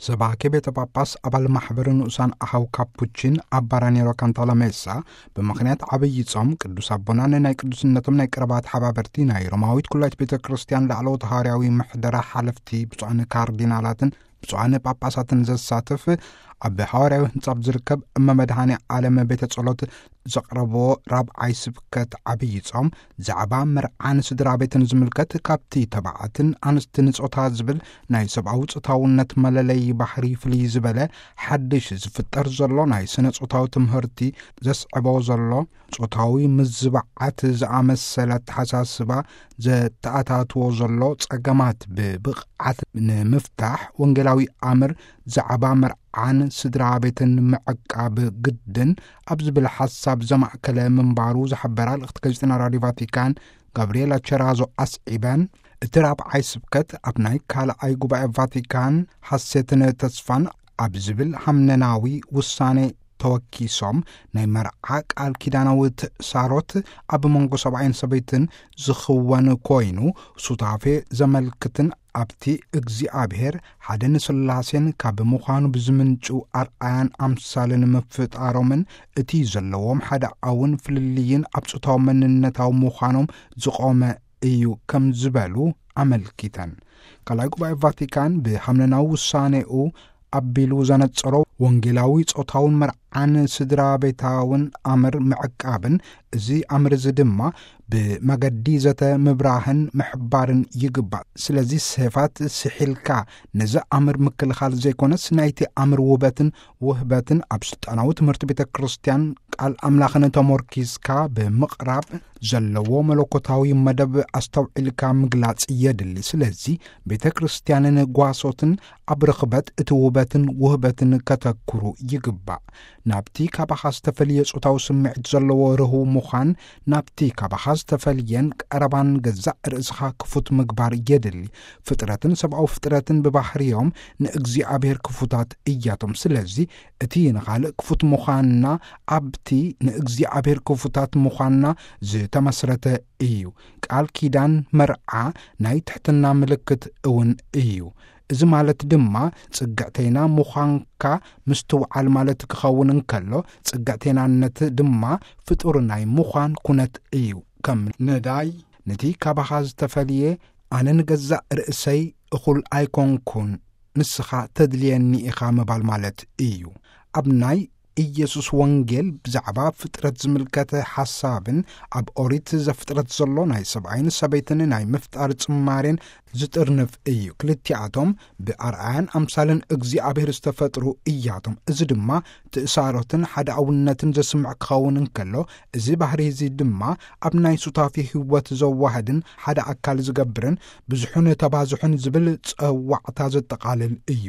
ሰባኬ ቤተ ጳጳስ ኣባል ማሕበር ንኡሳን ኣሃው ካፑቺን ኣባ ራኒሮ ካንታላሜሳ፣ ብምኽንያት ዓብዪ ጾም ቅዱስ ኣቦናን ናይ ቅዱስነቶም ናይ ቀረባ ተሓባበርቲ ናይ ሮማዊት ኩላይት ቤተ ክርስቲያን ላዕለዎት ሃዋርያዊ ምሕደራ ሓለፍቲ ብፁዓን ካርዲናላትን ብፁዓን ጳጳሳትን ዘሳትፍ ኣብ ሃዋርያዊ ህንጻ ኣብ ዝርከብ እመ መድኃኔ ዓለም ቤተ ጸሎት ዘቕረብዎ ራብዓይ ስብከት ዓብዪ ጾም፣ ዛዕባ መርዓን ስድራ ቤትን ዝምልከት፣ ካብቲ ተባዕትን ኣንስትን ጾታ ዝብል ናይ ሰብኣዊ ጾታውነት መለለዪ ባህሪ ፍልይ ዝበለ ሓድሽ ዝፍጠር ዘሎ ናይ ስነ ጾታዊ ትምህርቲ ዘስዕቦ ዘሎ ጾታዊ ምዝባዓት ዝኣመሰለ ኣተሓሳስባ ዘተኣታትዎ ዘሎ ጸገማት ብብቕዓት ንምፍታሕ ወንጌላዊ ኣምር ዛዕባ መርዓን ስድራ ቤትን ምዕቃብ ግድን ኣብ ዝብል ሓሳብ ዘማእከለ ምንባሩ ዝሓበራ ልእኽቲ ጋዜጠና ራድዮ ቫቲካን ጋብርኤላ ቸራዞ ኣስዒበን፣ እቲ ራብዓይ ስብከት ኣብ ናይ ካልኣይ ጉባኤ ቫቲካን ሓሴትን ተስፋን ኣብ ዝብል ሃምነናዊ ውሳኔ ተወኪሶም ናይ መርዓ ቃል ኪዳናዊ ትእሳሮት ኣብ መንጎ ሰብኣይን ሰበይትን ዝኽወን ኮይኑ፣ ሱታፌ ዘመልክትን ኣብቲ እግዚኣብሔር ሓደ ንስላሴን ካብ ምዃኑ ብዝምንጩ ኣርኣያን ኣምሳልን ምፍጣሮምን እቲ ዘለዎም ሓደ ኣውን ፍልልይን ኣብ ጾታዊ መንነታዊ ምዃኖም ዝቖመ እዩ ከም ዝበሉ ኣመልኪተን። ካልኣይ ጉባኤ ቫቲካን ብሃምነናዊ ውሳኔኡ ኣቢሉ ዘነጸሮ ወንጌላዊ ጾታውን መርዓን ስድራ ቤታውን ኣምር ምዕቃብን፣ እዚ ኣምር እዚ ድማ ብመገዲ ዘተ ምብራህን ምሕባርን ይግባእ። ስለዚ ሴፋት ስሒልካ ነዚ ኣምር ምክልኻል ዘይኮነስ፣ ናይቲ ኣምር ውበትን ውህበትን ኣብ ስልጣናዊ ትምህርቲ ቤተ ክርስቲያን ቃል ኣምላኽን ተሞርኪዝካ ብምቕራብ ዘለዎ መለኮታዊ መደብ ኣስተውዒልካ ምግላጽ የድሊ። ስለዚ ቤተ ክርስቲያንን ጓሶትን ኣብ ርኽበት እቲ ውበትን ውህበትን ከተኩሩ ይግባእ። ናብቲ ካባኻ ዝተፈልየ ጾታዊ ስምዒት ዘለዎ ርህው ምዃን፣ ናብቲ ካባኻ ዝተፈልየን ቀረባን ገዛእ ርእስኻ ክፉት ምግባር የድሊ። ፍጥረትን ሰብኣዊ ፍጥረትን ብባህርዮም ንእግዚኣብሔር ክፉታት እያቶም። ስለዚ እቲ ንኻልእ ክፉት ምዃንና ኣብቲ ንእግዚኣብሔር ክፉታት ምዃንና ዝተመስረተ እዩ። ቃል ኪዳን መርዓ ናይ ትሕትና ምልክት እውን እዩ። እዚ ማለት ድማ ጽግዕተይና ምዃንካ ምስትውዓል ማለት ክኸውን እንከሎ፣ ጽግዕተይናነት ድማ ፍጡር ናይ ምዃን ኩነት እዩ። ከም ነዳይ ነቲ ካባኻ ዝተፈልየ ኣነ ንገዛእ ርእሰይ እኹል ኣይኮንኩን፣ ንስኻ ተድልየኒ ኢኻ ምባል ማለት እዩ። ኣብ ናይ ኢየሱስ ወንጌል ብዛዕባ ፍጥረት ዝምልከተ ሓሳብን ኣብ ኦሪት ዘፍጥረት ዘሎ ናይ ሰብኣይን ሰበይትን ናይ ምፍጣር ጽማሬን ዝጥርንፍ እዩ። ክልቲኣቶም ብኣርኣያን ኣምሳልን እግዚኣብሔር ዝተፈጥሩ እያቶም። እዚ ድማ ትእሳሮትን ሓደ ኣውነትን ዘስምዕ ክኸውን እንከሎ፣ እዚ ባህሪ እዚ ድማ ኣብ ናይ ሱታፊ ህይወት ዘዋህድን ሓደ ኣካል ዝገብርን ብዙሑን ተባዝሑን ዝብል ጸዋዕታ ዘጠቓልል እዩ።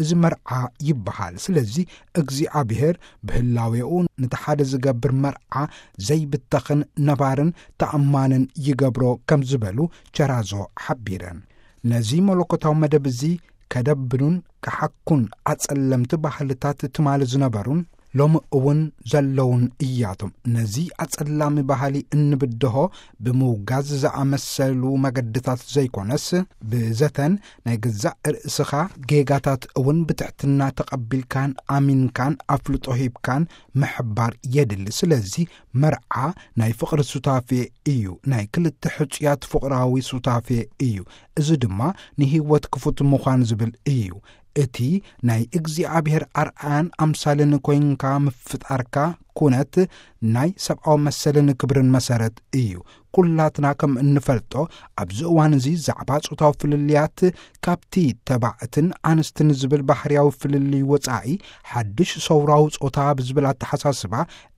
እዚ መርዓ ይበሃል። ስለዚ እግዚኣብሔር ብህላዌኡ ነቲ ሓደ ዝገብር መርዓ ዘይብተኽን ነባርን ተኣማንን ይገብሮ ከም ዝበሉ ቸራዞ ሓቢረን። ነዚ መለኮታዊ መደብ እዚ ከደብኑን ክሓኩን ኣጸለምቲ ባህልታት ትማሊ ዝነበሩን ሎሚ እውን ዘለውን እያቶም። ነዚ ኣጸላሚ ባህሊ እንብድሆ ብምውጋዝ ዝኣመሰሉ መገድታት ዘይኮነስ፣ ብዘተን ናይ ገዛእ ርእስኻ ጌጋታት እውን ብትሕትና ተቐቢልካን ኣሚንካን ኣፍልጦ ሂብካን ምሕባር የድሊ። ስለዚ መርዓ ናይ ፍቕሪ ሱታፌ እዩ፣ ናይ ክልተ ሕጹያት ፍቕራዊ ሱታፌ እዩ። እዚ ድማ ንህይወት ክፉት ምዃን ዝብል እዩ። እቲ ናይ እግዚኣብሔር ኣርኣያን ኣምሳልን ኮይንካ ምፍጣርካ ኩነት ናይ ሰብኣዊ መሰልን ክብርን መሰረት እዩ። ኩላትና ከም እንፈልጦ፣ ኣብዚ እዋን እዚ ዛዕባ ጾታዊ ፍልልያት ካብቲ ተባዕትን ኣንስትን ዝብል ባህርያዊ ፍልልይ ወጻኢ፣ ሓድሽ ሰውራዊ ጾታ ብዝብል ኣተሓሳስባ፣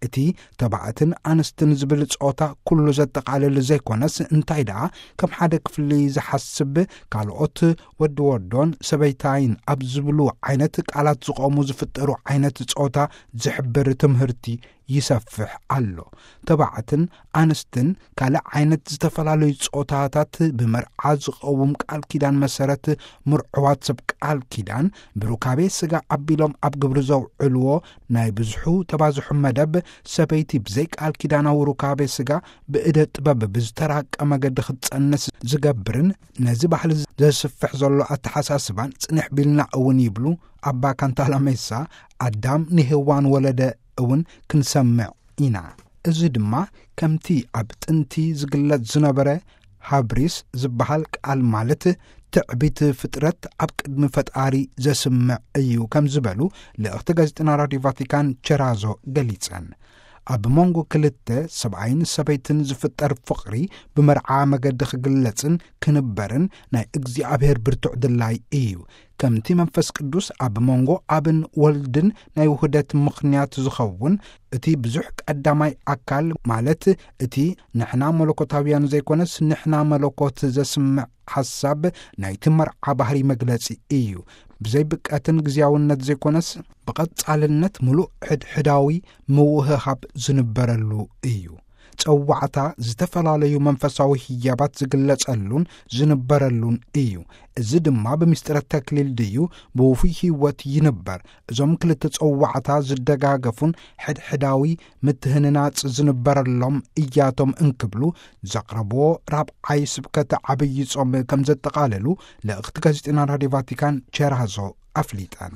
እቲ ተባዕትን ኣንስትን ዝብል ጾታ ኩሉ ዘጠቓልል ዘይኮነስ፣ እንታይ ደኣ ከም ሓደ ክፍሊ ዝሓስብ፣ ካልኦት ወዲ ወዶን ሰበይታይን ኣብ ዝብሉ ዓይነት ቃላት ዝቖሙ ዝፍጠሩ ዓይነት ጾታ ዝሕብር ትምህርቲ ይሰፍሕ ኣሎ። ተባዕትን ኣንስትን ካልእ ዓይነት ዝተፈላለዩ ጾታታት ብመርዓ ዝቐውም ቃል ኪዳን መሰረት፣ ምርዑዋት ሰብ ቃል ኪዳን ብሩካቤ ስጋ ኣቢሎም ኣብ ግብሪ ዘውዕልዎ ናይ ብዙሑ ተባዝሑ መደብ፣ ሰበይቲ ብዘይ ቃል ኪዳናዊ ሩካቤ ስጋ ብእደ ጥበብ ብዝተራቀ መገዲ ክትጸንስ ዝገብርን ነዚ ባህሊ ዘስፍሕ ዘሎ ኣተሓሳስባን ጽንሕ ቢልና እውን ይብሉ ኣባ ካንታላሜሳ፣ ኣዳም ንሄዋን ወለደ እውን ክንሰምዕ ኢና። እዚ ድማ ከምቲ ኣብ ጥንቲ ዝግለጽ ዝነበረ ሃብሪስ ዝበሃል ቃል፣ ማለት ትዕቢት ፍጥረት ኣብ ቅድሚ ፈጣሪ ዘስምዕ እዩ ከም ዝበሉ ልእኽቲ ጋዜጠና ራዲዮ ቫቲካን ቸራዞ ገሊጸን። ኣብ መንጎ ክልተ ሰብኣይን ሰበይትን ዝፍጠር ፍቕሪ ብመርዓ መገዲ ክግለጽን ክንበርን ናይ እግዚኣብሔር ብርቱዕ ድላይ እዩ። ከምቲ መንፈስ ቅዱስ ኣብ መንጎ ኣብን ወልድን ናይ ውህደት ምኽንያት ዝኸውን፣ እቲ ብዙሕ ቀዳማይ ኣካል፣ ማለት እቲ ንሕና መለኮታውያን ዘይኮነስ ንሕና መለኮት ዘስምዕ ሓሳብ ናይቲ መርዓ ባህሪ መግለጺ እዩ። ብዘይ ብቀትን ግዜያውነት ዘይኮነስ ብቐጻልነት ምሉእ ሕድሕዳዊ ምውህሃብ ዝንበረሉ እዩ። ጸዋዕታ ዝተፈላለዩ መንፈሳዊ ህያባት ዝግለጸሉን ዝንበረሉን እዩ። እዚ ድማ ብምስጢረ ተክሊል ድዩ ብውፉይ ህይወት ይንበር? እዞም ክልተ ጸዋዕታ ዝደጋገፉን ሕድሕዳዊ ምትህንናጽ ዝንበረሎም እያቶም እንክብሉ ዘቕረብዎ ራብዓይ ስብከት ዓብዪ ጾም ከም ዘጠቓለሉ ልእኽቲ ጋዜጠና ራዲዮ ቫቲካን ቸራዞ ኣፍሊጠን።